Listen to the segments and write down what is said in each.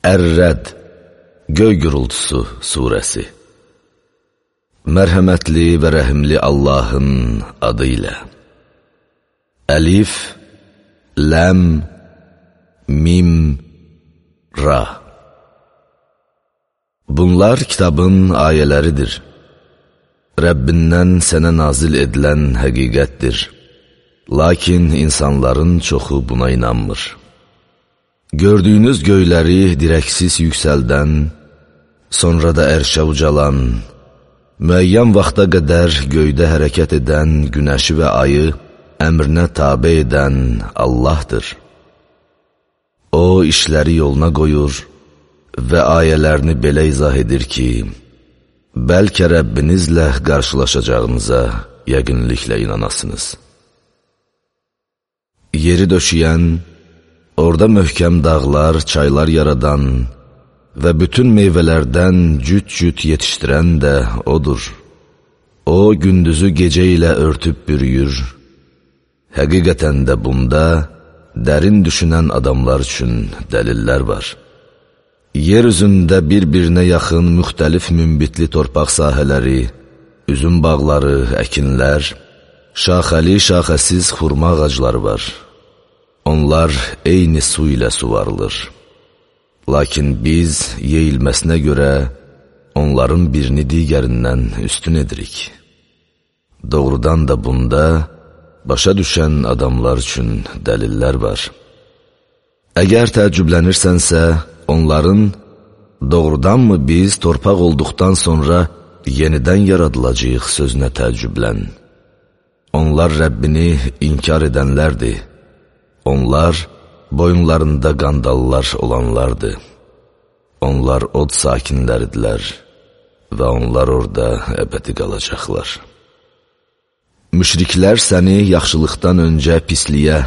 Ər-Rəd, Göy Gürültüsü surəsi. Mərhəmətli və rəhimli Allahın adı ilə. Əlif, Ləm, Mim, Ra. Bunlar kitabın ayələridir. Rəbbindən sənə nazil edilən həqiqətdir. Lakin insanların çoxu buna inanmır. Gördüyünüz göyləri dirəksiz yüksəldən, sonra da ərşə ucalan, müəyyən vaxta qədər göydə hərəkət edən günəşi və ayı əmrinə tabe edən Allahdır. O, işləri yoluna qoyur və ayələrini belə izah edir ki, bəlkə Rəbbinizlə qarşılaşacağınıza yəqinliklə inanasınız. Yeri döşəyən, orada möhkəm dağlar, çaylar yaradan və bütün meyvələrdən cüt-cüt yetişdirən də odur. O, gündüzü gecə ilə örtüb bürüyür. Həqiqətən də bunda dərin düşünən adamlar üçün dəlillər var. Yer üzündə bir-birinə yaxın müxtəlif münbitli torpaq sahələri, üzüm bağları, əkinlər, şaxəli, şaxəsiz xurma ağacları var. Onlar eyni su ilə suvarılır. Lakin biz yeyilməsinə görə onların birini digərindən üstün edirik. Doğrudan da bunda başa düşən adamlar üçün dəlillər var. Əgər təəccüblənirsənsə, onların doğrudanmı biz torpaq olduqdan sonra yenidən yaradılacağıq sözünə təəccüblən. Onlar Rəbbini inkar edənlərdir. Onlar boyunlarında qandallar olanlardır. Onlar od sakinləridirlər və onlar orada əbədi qalacaqlar. Müşriklər səni yaxşılıqdan öncə pisliyə,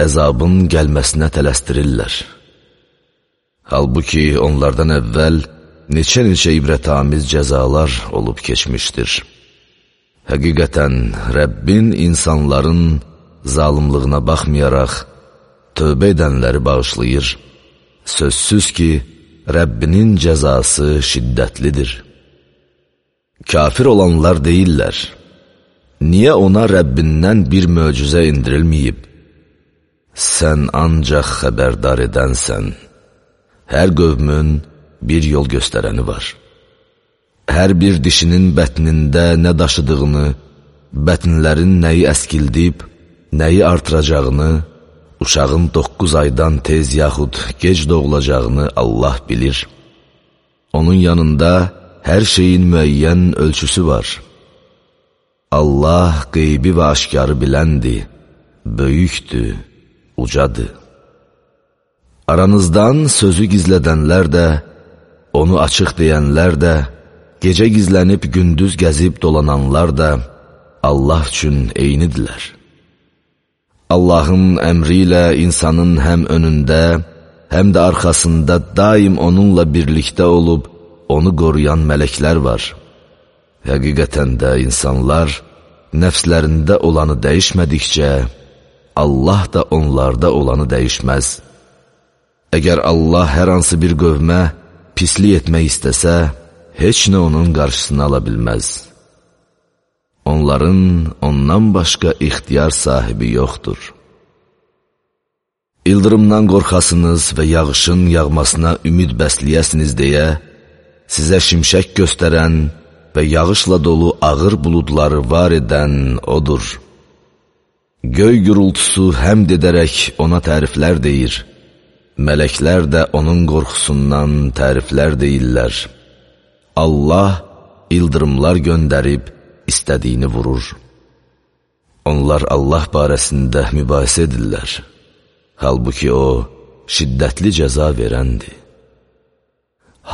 əzabın gəlməsinə tələstirirlər. Halbuki onlardan əvvəl neçə-neçə ibrətamiz cəzalar olub keçmişdir. Həqiqətən Rəbbin insanların zalımlığına baxmayaraq, tövbə edənləri bağışlayır. Sözsüz ki, Rəbbinin cəzası şiddətlidir. Kafir olanlar deyirlər, niyə ona Rəbbindən bir möcüzə indirilməyib? Sən ancaq xəbərdar edənsən. Hər qövmün bir yol göstərəni var. Hər bir dişinin bətnində nə daşıdığını, bətnlərin nəyi əskildib, nəyi artıracağını, uşağın 9 aydan tez yaxud gec doğulacağını Allah bilir. Onun yanında hər şeyin müəyyən ölçüsü var. Allah qeybi və aşkarı biləndir, böyükdür, ucadır. Aranızdan sözü gizlədənlər də, onu açıq deyənlər də, gecə gizlənib gündüz gəzib dolananlar da Allah üçün eynidirlər. Allahın əmri ilə insanın həm önündə, həm də arxasında daim onunla birlikdə olub, onu qoruyan mələklər var. Həqiqətən də insanlar nəfslərində olanı dəyişmədikcə, Allah da onlarda olanı dəyişməz. Əgər Allah hər hansı bir qövmə pislik etmək istəsə, heç nə onun qarşısını ala bilməz. Onların ondan başqa ixtiyar sahibi yoxdur. İldırımdan qorxasınız və yağışın yağmasına ümid bəsləyəsiniz deyə, sizə şimşək göstərən və yağışla dolu ağır buludları var edən odur. Göy gürültüsü həmd edərək ona təriflər deyir. Mələklər də onun qorxusundan təriflər deyirlər. Allah ildırımlar göndərib, istədiyini vurur. Onlar Allah barəsində mübahisə edirlər. Halbuki o, şiddətli cəza verəndir.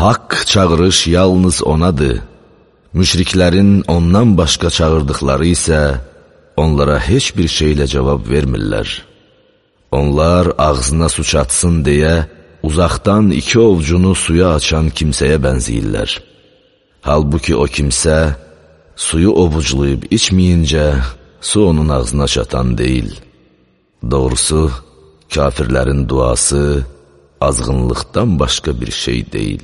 Haqq çağırış yalnız onadır. Müşriklərin ondan başqa çağırdıqları isə onlara heç bir şeylə cavab vermirlər. Onlar ağzına su çatsın deyə uzaqdan 2 ovcunu suya açan kimsəyə bənziyirlər. Halbuki o kimsə suyu ovuclayıb içməyincə su onun ağzına çatan deyil. Doğrusu, kafirlərin duası azğınlıqdan başqa bir şey deyil.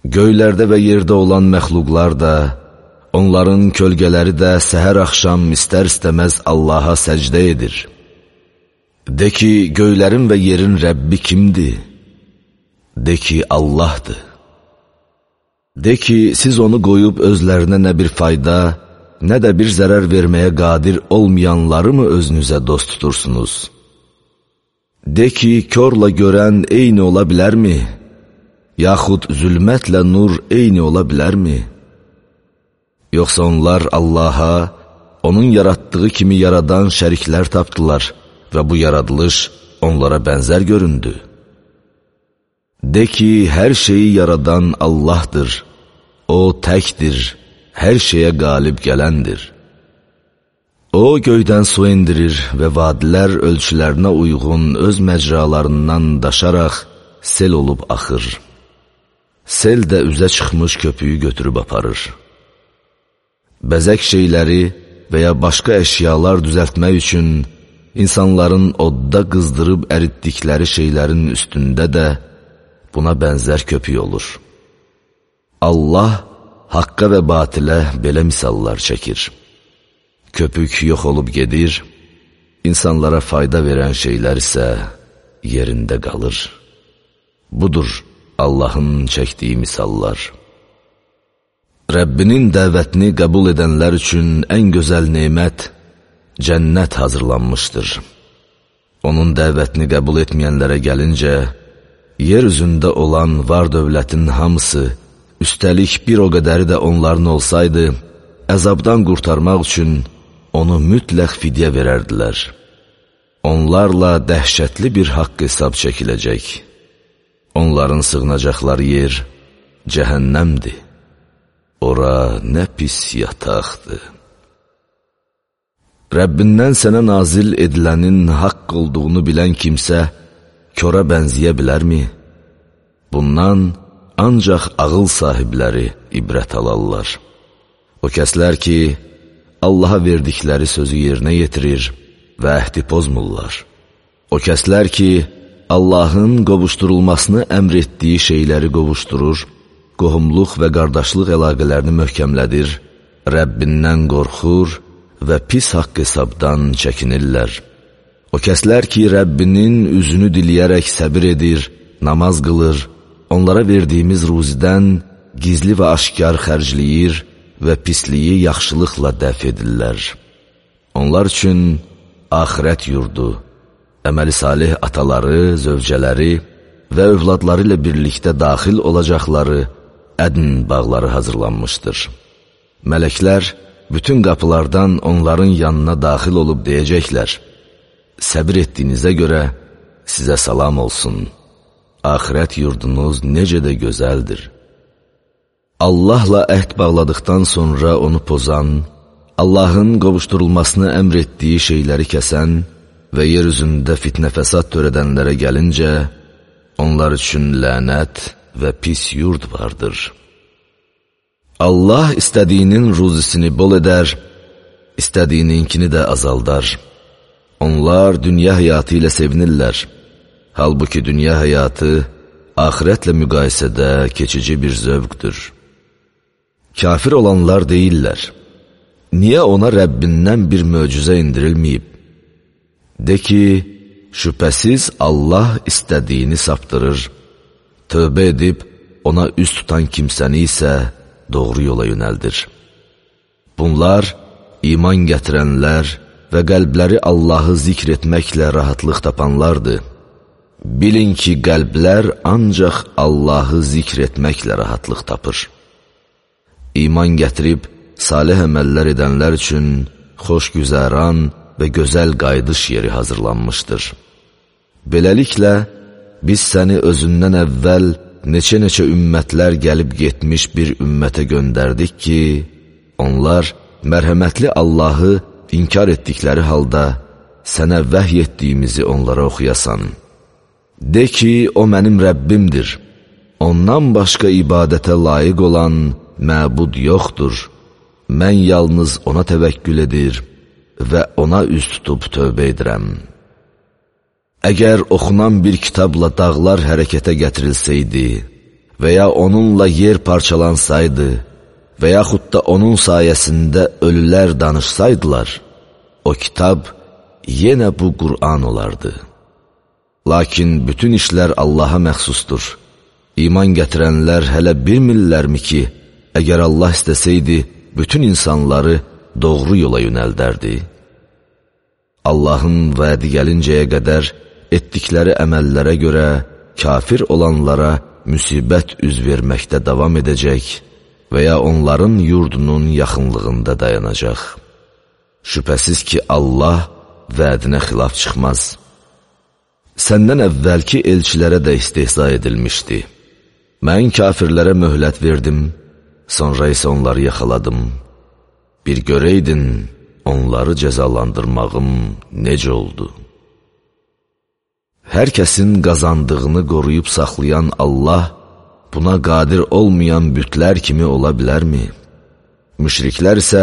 Göylərdə və yerdə olan məxluqlar da, onların kölgələri də səhər axşam istər-istəməz Allaha səcdə edir. De ki, göylərin və yerin Rəbbi kimdir? De ki, Allahdır. De ki, siz onu qoyub özlərinə nə bir fayda, nə də bir zərər verməyə qadir olmayanları mı özünüzə dost tutursunuz? De ki, körlə görən eyni ola bilərmi? Yaxud zülmətlə nur eyni ola bilərmi? Yoxsa onlar Allaha, onun yaratdığı kimi yaradan şəriklər tapdılar və bu yaradılış onlara bənzər göründü. De ki, hər şeyi yaradan Allahdır, O təkdir, hər şeyə qalib gələndir. O göydən su indirir və vadilər ölçülərinə uyğun öz məcralarından daşaraq sel olub axır. Sel də üzə çıxmış köpüyü götürüb aparır. Bəzək şeyləri və ya başqa əşyalar düzəltmək üçün insanların odda qızdırıb əritdikləri şeylərin üstündə də buna bənzər köpük olur. Allah haqqa və batilə belə misallar çəkir. Köpük yox olub gedir, insanlara fayda verən şeylər isə yerində qalır. Budur Allahın çəkdiyi misallar. Rəbbinin dəvətini qəbul edənlər üçün ən gözəl nemət cənnət hazırlanmışdır. Onun dəvətini qəbul etməyənlərə gəlincə, yer üzündə olan var dövlətin hamısı, üstəlik bir o qədəri də onların olsaydı, əzabdan qurtarmaq üçün onu mütləq fidyə verərdilər. Onlarla dəhşətli bir haqq hesab çəkiləcək. Onların sığınacaqları yer cəhənnəmdir. Ora nə pis yataqdır. Rəbbindən sənə nazil edilənin haqq olduğunu bilən kimsə köra bənziyə bilərmi? Bundan ancaq ağıl sahibləri ibrət alarlar. O kəslər ki, Allaha verdikləri sözü yerinə yetirir və əhdi pozmurlar. O kəslər ki, Allahın qovuşdurulmasını əmr etdiyi şeyləri qovuşdurur, qohumluq və qardaşlıq əlaqələrini möhkəmlədir, Rəbbindən qorxur və pis haqq hesabdan çəkinirlər. O kəslər ki, Rəbbinin üzünü diləyərək səbir edir, namaz qılır, onlara verdiyimiz ruzidən gizli və aşkar xərcləyir və pisliyi yaxşılıqla dəf edirlər. Onlar üçün axirət yurdu, əməli salih ataları, zövcələri və övladları ilə birlikdə daxil olacaqları ədn bağları hazırlanmışdır. Mələklər bütün qapılardan onların yanına daxil olub deyəcəklər: səbir etdiyinizə görə sizə salam olsun. Axirət yurdunuz necə də gözəldir. Allahla əhd bağladıqdan sonra onu pozan, Allahın qovuşdurulmasını əmr etdiyi şeyləri kəsən və yer üzündə fitnə fəsad törədənlərə gəlincə, onlar üçün lənət və pis yurd vardır. Allah istədiyinin ruzisini bol edər, istədiyininkini də azaldar. Onlar dünya həyatı ilə sevinirlər. Halbuki dünya həyatı axirətlə müqayisədə keçici bir zövqdür. Kafir olanlar deyirlər: niyə ona Rəbbindən bir möcüzə indirilməyib? De ki, şübhəsiz Allah istədiyini saptırır, tövbə edib ona üz tutan kimsəni isə doğru yola yönəldir. Bunlar iman gətirənlər və qəlbləri Allahı zikr etməklə rahatlıq tapanlardır. Bilin ki, qəlblər ancaq Allahı zikr etməklə rahatlıq tapır. İman gətirib salih əməllər edənlər üçün xoşgüzəran və gözəl qayıdış yeri hazırlanmışdır. Beləliklə, biz səni özündən əvvəl neçə-neçə ümmətlər gəlib getmiş bir ümmətə göndərdik ki, onlar mərhəmətli Allahı inkar etdikləri halda sənə vəhy etdiyimizi onlara oxuyasan. De ki, o mənim Rəbbimdir, ondan başqa ibadətə layiq olan məbud yoxdur, mən yalnız ona təvəkkül edir və ona üz tutub tövbə edirəm. Əgər oxunan bir kitabla dağlar hərəkətə gətirilsəydi və ya onunla yer parçalansaydı və yaxud da onun sayəsində ölülər danışsaydılar, o kitab yenə bu Qur'an olardı. Lakin bütün işlər Allaha məxsusdur. İman gətirənlər hələ bilmirlərmi ki, əgər Allah istəsəydi, bütün insanları doğru yola yönəldərdi. Allahın vədi gəlincəyə qədər etdikləri əməllərə görə kafir olanlara müsibət üz verməkdə davam edəcək və ya onların yurdunun yaxınlığında dayanacaq. Şübhəsiz ki, Allah vədinə xilaf çıxmaz. Səndən əvvəlki elçilərə də istehza edilmişdi. Mən kafirlərə möhlət verdim, sonra isə onları yaxaladım. Bir görəydin, onları cəzalandırmağım necə oldu? Hər kəsin qazandığını qoruyub saxlayan Allah, buna qadir olmayan bütlər kimi ola bilərmi? Müşriklər isə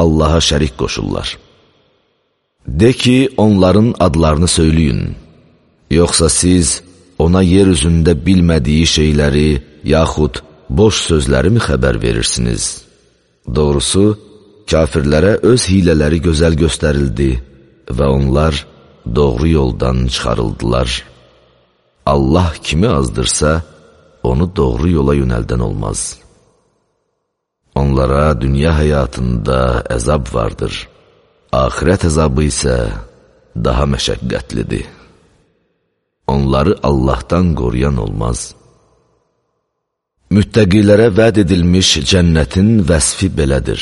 Allaha şərik qoşurlar. De ki, onların adlarını söyləyin. Yoxsa siz ona yer üzündə bilmədiyi şeyləri, yaxud boş sözləri mi xəbər verirsiniz? Doğrusu, kafirlərə öz hilələri gözəl göstərildi və onlar doğru yoldan çıxarıldılar. Allah kimi azdırsa, onu doğru yola yönəldən olmaz. Onlara dünya həyatında əzab vardır. Axirət əzabı isə daha məşəqqətlidir. Onları Allahdan qoruyan olmaz. Müttəqilərə vəd edilmiş cənnətin vəsfi belədir.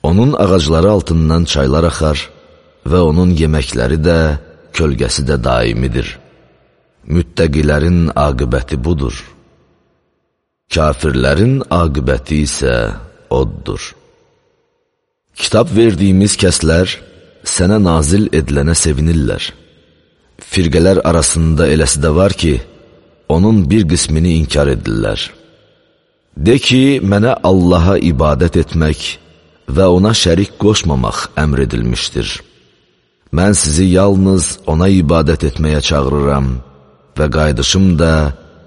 Onun ağacları altından çaylar axar və onun yeməkləri də, kölgəsi də daimidir. Müttəqilərin aqibəti budur. Kafirlərin aqibəti isə oddur. Kitab verdiyimiz kəslər sənə nazil edilənə sevinirlər. Firqələr arasında eləsi də var ki, onun bir qismini inkar edirlər. De ki, mənə Allaha ibadət etmək və ona şərik qoşmamaq əmr edilmişdir. Mən sizi yalnız ona ibadət etməyə çağırıram və qayıdışım da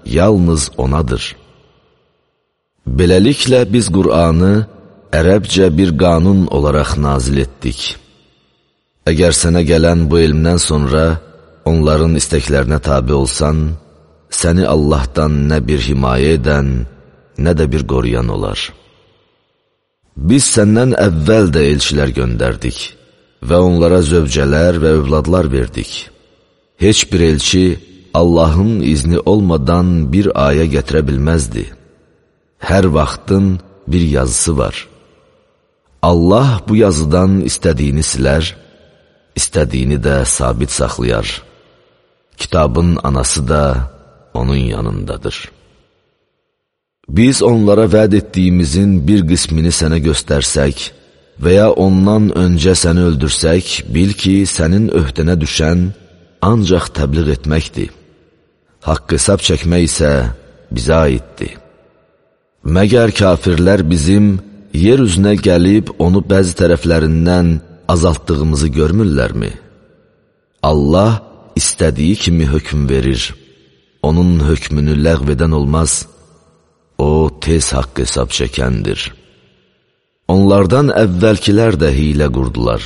yalnız onadır. Beləliklə biz Qur'anı ərəbcə bir qanun olaraq nazil etdik. Əgər sənə gələn bu elmdən sonra onların istəklərinə tabi olsan, səni Allahdan nə bir himayə edən, nə də bir qoruyan olar. Biz səndən əvvəl də elçilər göndərdik və onlara zövcələr və övladlar verdik. Heç bir elçi Allahın izni olmadan bir ayə gətirə bilməzdi. Hər vaxtın bir yazısı var. Allah bu yazıdan istədiyini silər, istədiyini də sabit saxlayar. Kitabın anası da onun yanındadır. Biz onlara vəd etdiyimizin bir qismini sənə göstərsək və ya ondan öncə səni öldürsək, bil ki, sənin öhdənə düşən ancaq təbliğ etməkdir. Haqq hesab çəkmək isə bizə aiddir. Məgər kafirlər bizim yer üzünə gəlib onu bəzi tərəflərindən azaltdığımızı görmürlərmi? Allah istədiyi kimi hökm verir. Onun hökmünü ləğv edən olmaz. O tez haqq hesab çəkəndir. Onlardan əvvəlkilər də hilə qurdular.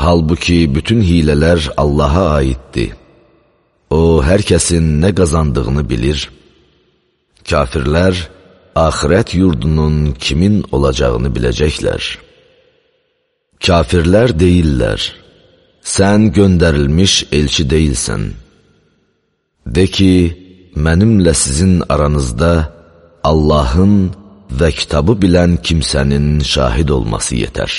Halbuki bütün hilələr Allaha aiddir. O, hər kəsin nə qazandığını bilir. Kafirlər, axirət yurdunun kimin olacağını biləcəklər. Kafirlər deyirlər, sən göndərilmiş elçi deyilsən. De ki, mənimlə sizin aranızda Allahın və kitabı bilən kimsənin şahid olması yetər.